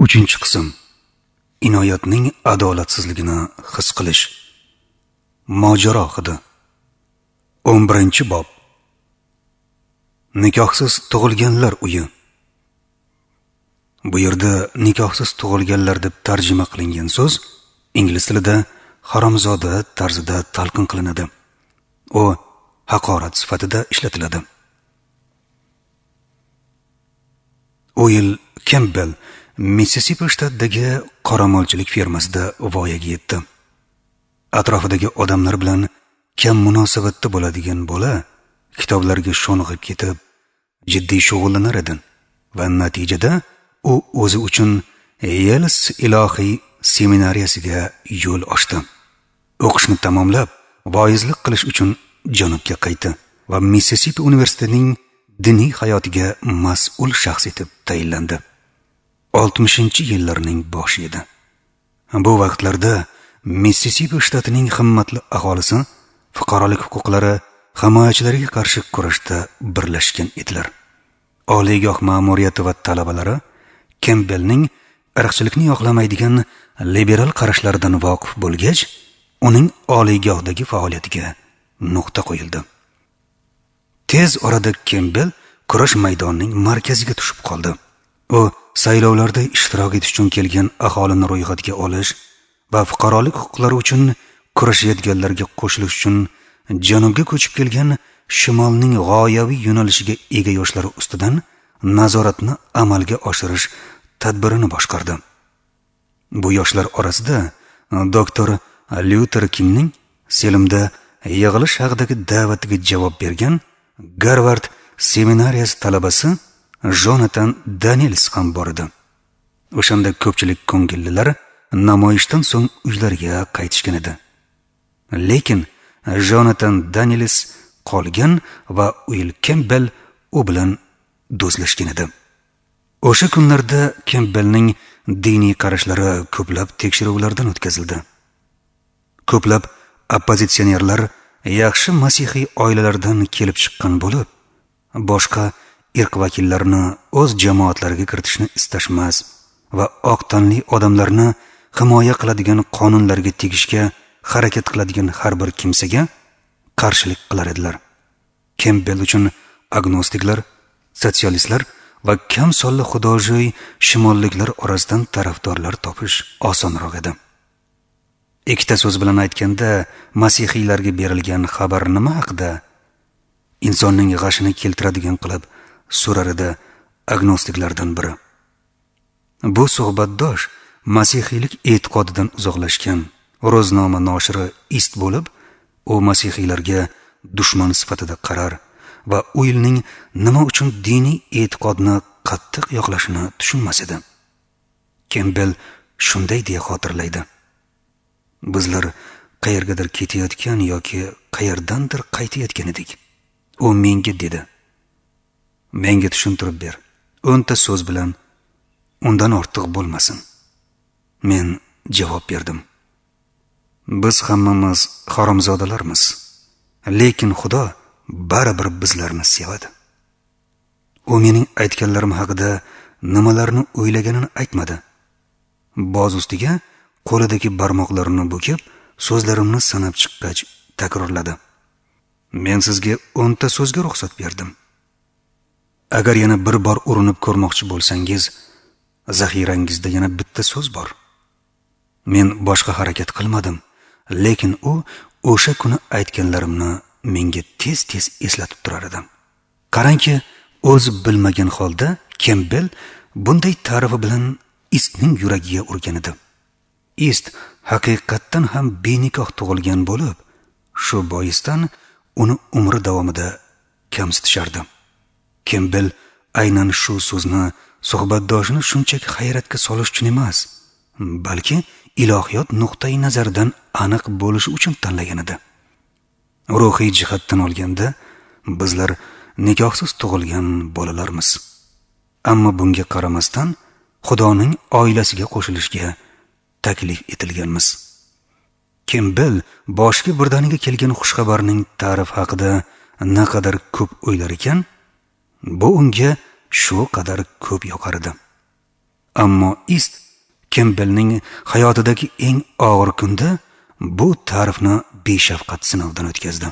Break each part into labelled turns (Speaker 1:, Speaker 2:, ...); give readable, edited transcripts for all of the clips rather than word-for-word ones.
Speaker 1: 3-qism. Inoyatning adolatsizligini his qilish. Mojaro hidi. 11-bob. Nikohsiz tug'ilganlar uyi. Bu yerda nikohsiz tug'ilganlar deb tarjima qilingan so'z ingliz tilida haromzoda tarzida talqin qilinadi. U haqorat sifatida ishlatiladi. Uill Kempbell Mississippi shtatidagi qoramolchilik fermasida voyaga yetdi. Atrofidagi odamlar bilan kam munosabatda bo'ladigan bola kitoblarga sho'ng'ib ketib, jiddiy shug'ullanar edi va natijada u o'zi uchun Yels ilohiy seminariyasiga yo'l ochdi. O'qishni tamomlab, voizlik qilish uchun janubga qaytdi va Mississippi universitetining diniy hayotiga mas'ul shaxs etib tayinlandi. 60-yillarning boshi edi. Bu vaqtlarda Mississippi shtatining himmatli aholisi fuqarolik huquqlari himoyachilariga qarshi kurashda birlashgan edilar. Oliygoh ma'muriyati va talabalari Kempbellning irqchilikni yoqlamaydigan liberal qarashlaridan voqif bo'lgach, uning oliygohdagi faoliyatiga nuqta qo'yildi. Tez orada Kempbell kurash maydonining markaziga tushib qoldi. U saylovlarda ishtirok etish uchun kelgan aholini ro'yxatga olish va fuqarolik huquqlari uchun kurashayotganlarga qo'shilish uchun janubga ko'chib kelgan shimolning g'oyaviy yo'nalishiga ega yoshlari ustidan nazoratni amalga oshirish tadbirini boshqardi. Bu yoshlar orasida doktor Lyuter Kingning Selimda yig'ilish haqidagi da'vatiga javob bergan Garvard seminariyasi talabasi Jonathan Daniels ham bor edi. O'shanda ko'pchilik ko'ngillilar namoyishdan so'ng uylariga qaytishgan edi. Lekin Jonathan Daniels qolgan va Uill Kempbell u bilan do'stlashgan edi. O'sha kunlarda Kempbellning diniy qarashlari ko'plab tekshiruvlardan o'tkazildi. Ko'plab oppozitsionerlar yaxshi masihiy oilalardan kelib chiqqan bo'lib, boshqa irq vakillarini o'z jamoatlariga kiritishni istashmas va oq tanli odamlarni himoya qiladigan qonunlarga tegishga harakat qiladigan har bir kimsaga qarshilik qilar edilar. Kempbell uchun agnostiklar, sotsialistlar va kam sonli xudojo'y shimolliklar orasidan tarafdorlar topish osonroq edi. Ikkita so'z bilan aytganda, masihiylarga berilgan xabar nima haqida? Insonning g'ashini keltiradigan qilib so'rar edi agnostiklardan biri. Bu suhbatdosh masihiylik e'tiqodidan uzoqlashgan ro'znoma noshiri Ist bo'lib, u masihiylarga dushman sifatida qarar va Uillning nima uchun diniy e'tiqodni qattiq yoqlashini tushunmas edi. Kempbell shunday deya xotirlaydi: bizlar qayergadir ketayotgan yoki qayerdandir qaytayotgan edik. U menga dedi: menga tushuntirib ber, 10 ta so'z bilan, undan ortiq bo'lmasin. Men javob berdim: biz hammamiz haromzodalarmiz, lekin Xudo baribir bizlarni sevadi. U mening aytganlarim haqida nimalarni o'ylaganini aytmadi. Boz ustiga qo'lidagi barmoqlarini bukib, so'zlarimni sanab chiqqach takrorladi: men sizga 10 ta so'zga ruxsat berdim. Agar yana bir bor urinib ko'rmoqchi bo'lsangiz, zaxirangizda yana bitta so'z bor. Men boshqa harakat qilmadim, lekin u o'sha kuni aytganlarimni menga tez-tez eslatib turar edi. Qarangki, o'zi bilmagan holda Kempbell bunday ta'rifi bilan Istning yuragiga urgan edi. Ist haqiqatdan ham benikoh tug'ilgan bo'lib, shu boisdan uni umri davomida kamsitishardi. Kempbell aynan shu so'zni suhbatdoshini shunchaki hayratga solish uchun emas, balki ilohiyot nuqtai nazaridan aniq bo'lishi uchun tanlagan edi. Ruhiy jihatdan olganda bizlar nikohsiz tug'ilgan bolalarmiz. Ammo bunga qaramasdan Xudoning oilasiga qo'shilishga taklif etilganmiz. Kempbell boshiga birdaniga kelgan xushxabarning ta'rif haqida naqadar ko'p o'ylar ekan, bu unga shu qadar ko'p yoqar edi. Ammo Ist Kempbellning hayotidagi eng og'ir kunda bu ta'rifni beshafqat sinovdan o'tkazdi.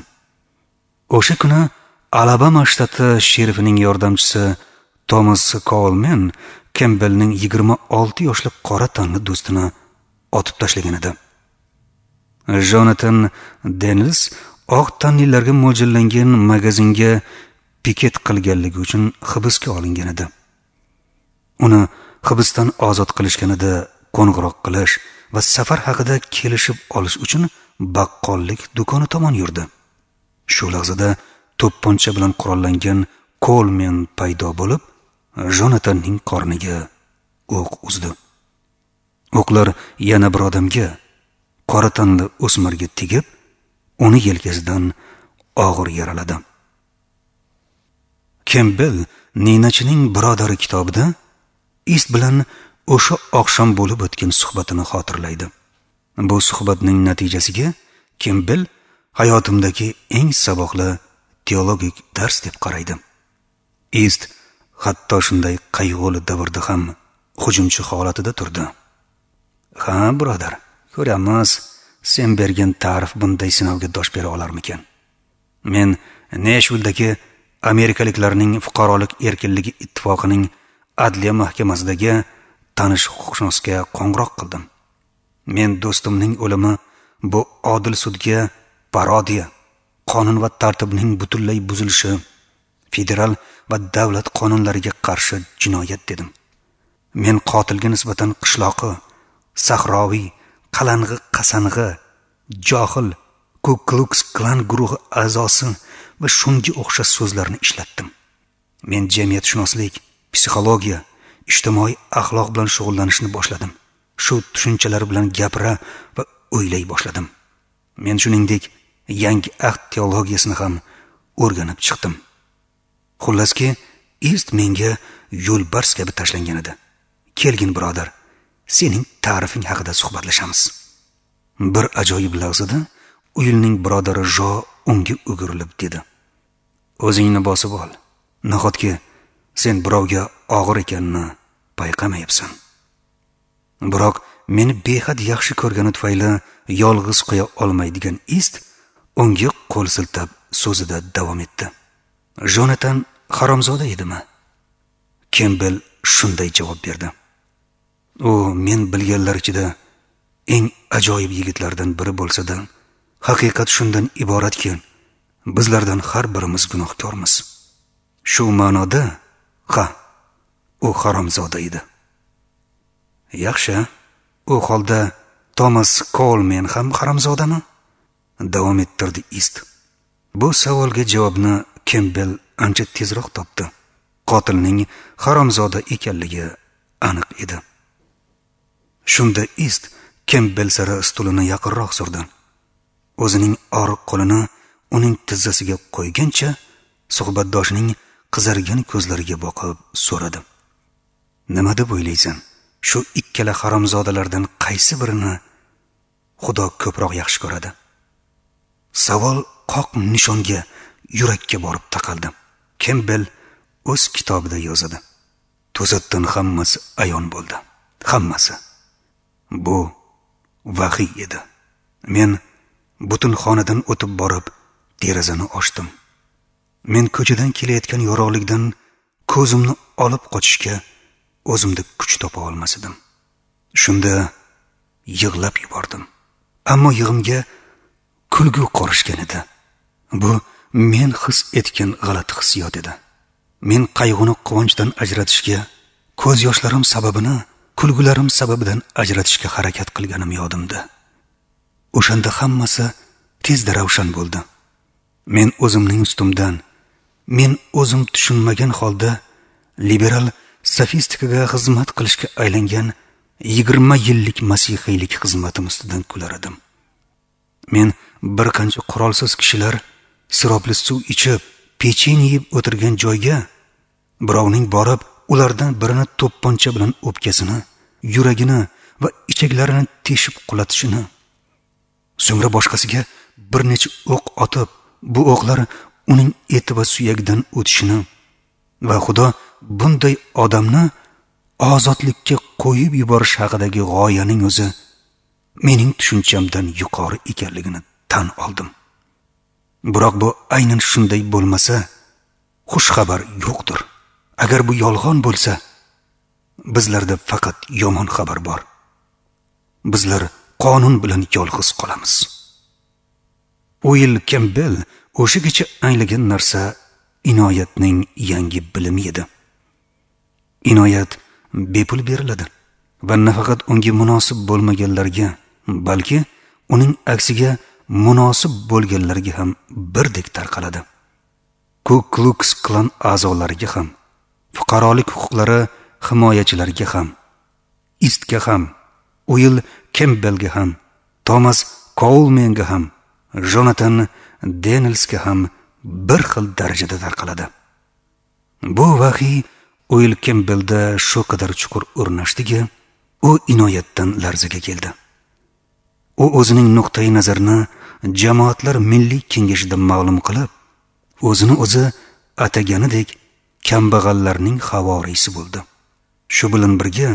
Speaker 1: O'sha kuni Alabama shtati sherifining yordamchisi Thomas Coleman Kempbellning 26 yoshli qora tanli do'stini otib tashlagan edi. Jonathan Daniels oq tanlilarga mo'ljallangan magazinga piket qilganligi uchun hibsga olingan edi. Uni hibsdan ozod qilishganida qo'ng'iroq qilish va safar haqida kelishib olish uchun baqqollik do'koni tomon yurdi. Shu lahzada to'pponcha bilan qurollangan Coleman paydo bo'lib, Jonathanning qorniga o'q uzdi. O'qlar yana bir odamga, qora tanli o'smirga tegib, uni yelkasidan og'ir yaraladi. Kempbell Ninachining birodari kitobida Ist bilan o'sha oqshom bo'lib o'tgan suhbatini xotirlaydi. Bu suhbatning natijasiga Kempbell hayotimdagi eng saboqli teologik dars deb qaraydi. Ist hatto shunday qayg'uli davrda ham hujumchi holatida turdi. Ha, birodar, ko'ramiz, sen bergan ta'rif bunday sinovga dosh bera olarmikan? Men Nashvildagi amerikaliklarning fuqarolik erkinligi ittifoqining adliya mahkamasidagi tanish huquqshunosga qo'ng'iroq qildim. Men do'stimning o'limi bu odil sudga parodiya, qonun va tartibning butunlay buzilishi, federal va davlat qonunlariga qarshi jinoyat dedim. Men qotilga nisbatan qishloqi, sahroviy, qalang'i qasang'i, johil, Ku Klux Klan guruhi a'zosi va shunga o'xshash so'zlarni ishlatdim. Men jamiyatshunoslik, psixologiya, ijtimoiy axloq bilan shug'ullanishni boshladim. Shu tushunchalar bilan gapira va o'ylay boshladim. Men shuningdek yangi ahd teologiyasini ham o'rganib chiqdim. Xullaski, Ist menga yo'lbars kabi tashlangan edi. Kelgin birodar, sening ta'rifing haqida suhbatlashamiz. Bir ajoyib lahzada Uyilning birodari Jo unga o'girilib dedi: "O'zingni bosib ol. Nahotki sen birovga og'ir ekanini payqamayapsan." Biroq meni behad yaxshi ko'rgani tufayli yolg'iz qo'ya olmaydigan Ist unga qo'l siltab so'zida davom etdi. Jonathan haromzoda edimi? Kempbell shunday javob berdi: "U men bilganlar ichida eng ajoyib yigitlardan biri bo'lsa-da, haqiqat shundan iboratki, bizlardan har birimiz gunohkormiz. Shu ma'noda, ha, u haromzoda edi." Yaxshi, u holda Thomas Coleman ham haromzodami? Davom ettirdi Ist. Bu savolga javobni Kempbell ancha tezroq topdi. Qotilning haromzoda ekanligi aniq edi. Shunda Ist Kempbell sari stulini yaqinroq surdi. O'zining oriq qo'lini uning tizzasiga qo'ygancha suhbatdoshining qizargan ko'zlariga boqib so'radi: "Nima deb o'ylaysan? Shu ikkala haromzodalardan qaysi birini Xudo ko'proq yaxshi ko'radi?" Savol qoq nishonga, yurakka borib taqaldi. Kempbell o'z kitobida yozadi: "To'satdan hammasi ayon bo'ldi. Hammasi. Bu vahiy edi. Men butun xonadan o'tib borib, derazani ochdim. Men ko'chadan kelayotgan yorug'likdan ko'zimni olib qochishga o'zimda kuch topa olmas edim. Shunda yig'lab yubordim. Ammo yig'imga kulgu qorishgan edi. Bu men his etgan g'alati hissiyot edi. Men qayg'uni quvonchdan ajratishga, ko'z yoshlarim sababini kulgularim sababidan ajratishga harakat qilganim yodimda. O'shanda hammasi tezda ravshan bo'ldi. Men o'zimning ustimdan, men o'zim tushunmagan holda liberal sofistikaga xizmat qilishga aylangan 20 yillik masihiylik xizmatim ustidan kular edim. Men bir qancha qurolsiz kishilar siropli suv ichib, pechenye yeb o'tirgan joyga birovning borib ulardan birini to'pponcha bilan o'pkasini, yuragini va ichaklarini teshib qulatishini, so'ngra boshqasiga bir necha o'q otib, bu o'qlar uning eti va suyagidan o'tishini va Xudo bunday odamni ozodlikka qo'yib yuborish haqidagi g'oyaning o'zi mening tushunchamdan yuqori ekanligini tan oldim. Biroq bu aynan shunday bo'lmasa, xushxabar yo'qdir. Agar bu yolg'on bo'lsa, bizlarda faqat yomon xabar bor. Bizlar qonun bilan yolg'iz qolamiz. Uill Kempbell o'sha kecha anglagan narsa inoyatning yangi bilimi edi. Inoyat bepul beriladi va nafaqat unga munosib bo'lmaganlarga, balki uning aksiga munosib bo'lganlarga ham birdek tarqaladi. Ku Klux Klan a'zolariga ham, fuqarolik huquqlari himoyachilariga ham, Istga ham, Uill Kempbellga ham, Thomas Colemenga ham, Jonathan Danielsga ham bir xil darajada tarqaladi. Bu vahiy Uill Kempbellda shu qadar chuqur o'rnashdiki, u inoyatdan larzaga keldi. U o'zining nuqtai nazarini jamoatlar milliy kengashida ma'lum qilib, o'zini o'zi ataganidek kambag'allarning havoriysi bo'ldi. Shu bilan birga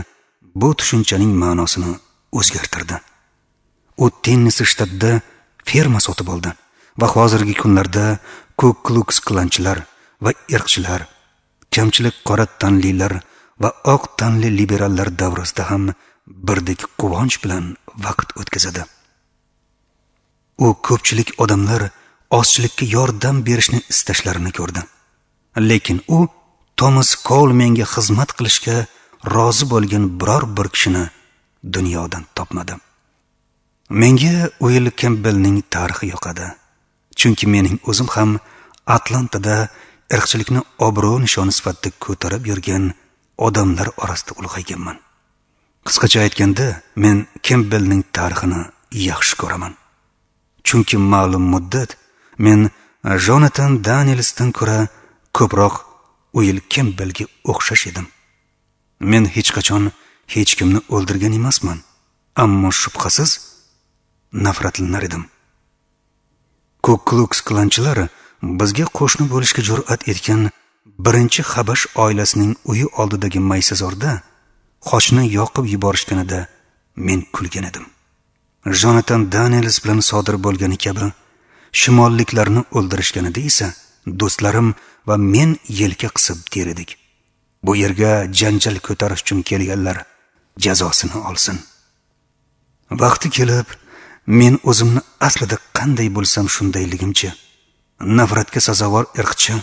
Speaker 1: bu tushunchaning ma'nosini o'zgartirdi. U Tennessee shtatida ferma sotib oldi va hozirgi kunlarda Ku Klux Klanchilar va irqchilar, kamchilik qora tanlilar va oq tanli liberallar davrasida ham birdek quvonch bilan vaqt o'tkazadi. U ko'pchilik odamlar ozchilikka yordam berishni istashlarini ko'rdi. Lekin u Thomas Colemenga xizmat qilishga rozi bo'lgan biror bir kishini dunyodan topmadi. Menga Uill Kempbellning tarixi yoqadi. Chunki mening o'zim ham Atlantada irqchilikni obro' nishoni sifatida ko'tarib yurgan odamlar orasida ulg'ayganman. Qisqacha aytganda, men Kempbellning tarixini yaxshi ko'raman. Chunki ma'lum muddat men Jonathan Danielsdan ko'ra ko'proq Uill Kempbellga o'xshash edim. Men hech qachon hech kimni o'ldirgan emasman, ammo shubhasiz nafratlanar edim. Ku Klux Klanchilar bizga qo'shni bo'lishga jur'at etgan birinchi habash oilasining uyi oldidagi maysazorda xochni yoqib yuborishganida men kulgan edim. Jonathan Daniels bilan sodir bo'lgani kabi shimolliklarni o'ldirishganida esa do'stlarim va men yelka qisib der edik. Bu yerga janjal ko'tarish uchun kelganlar jazosini olsin. Vaqti kelib, men o'zimni aslida qanday bo'lsam shundayligimcha, nafratga sazovor irqchi,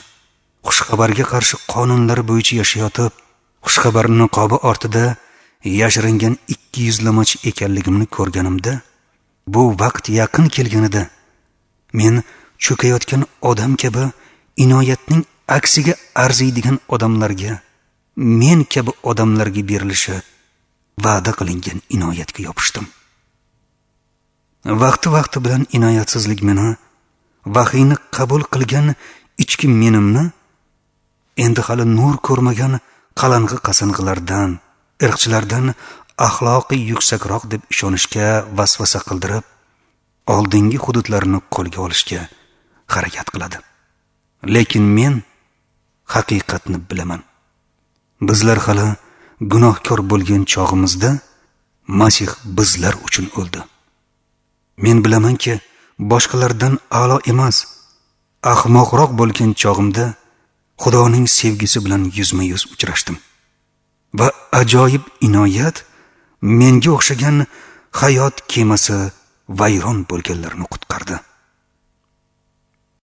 Speaker 1: xushxabarga qarshi qonunlar bo'yicha yashayotib, xushxabar niqobi ortida yashiringan ikki yuzlamachi ekanligimni ko'rganimda, bu vaqt yaqin kelganida men cho'kayotgan odam kabi inoyatning aksiga arziydigan odamlarga, men kabi odamlarga berilishi va'da qilingan inoyatga yopishdim. Vaqti-vaqti bilan inoyatsizlik meni, vahiyni qabul qilgan ichki menimni endi hali nur ko'rmagan qalang'i qasang'ilardan, irqchilardan axloqiy yuksakroq deb ishonishga vasvasa qildirib, oldingi hududlarni qo'lga olishga harakat qiladi. Lekin men haqiqatni bilaman. Bizlar hali gunohkor bo'lgan chog'imizda Masih bizlar uchun o'ldi. Men bilamanki, boshqalardan a'lo emas, ahmoqroq bo'lgan chog'imda Xudoning sevgisi bilan yuzma-yuz uchrashdim. Va ajoyib inoyat menga o'xshagan hayot kemasi vayron bo'lganlarni qutqardi.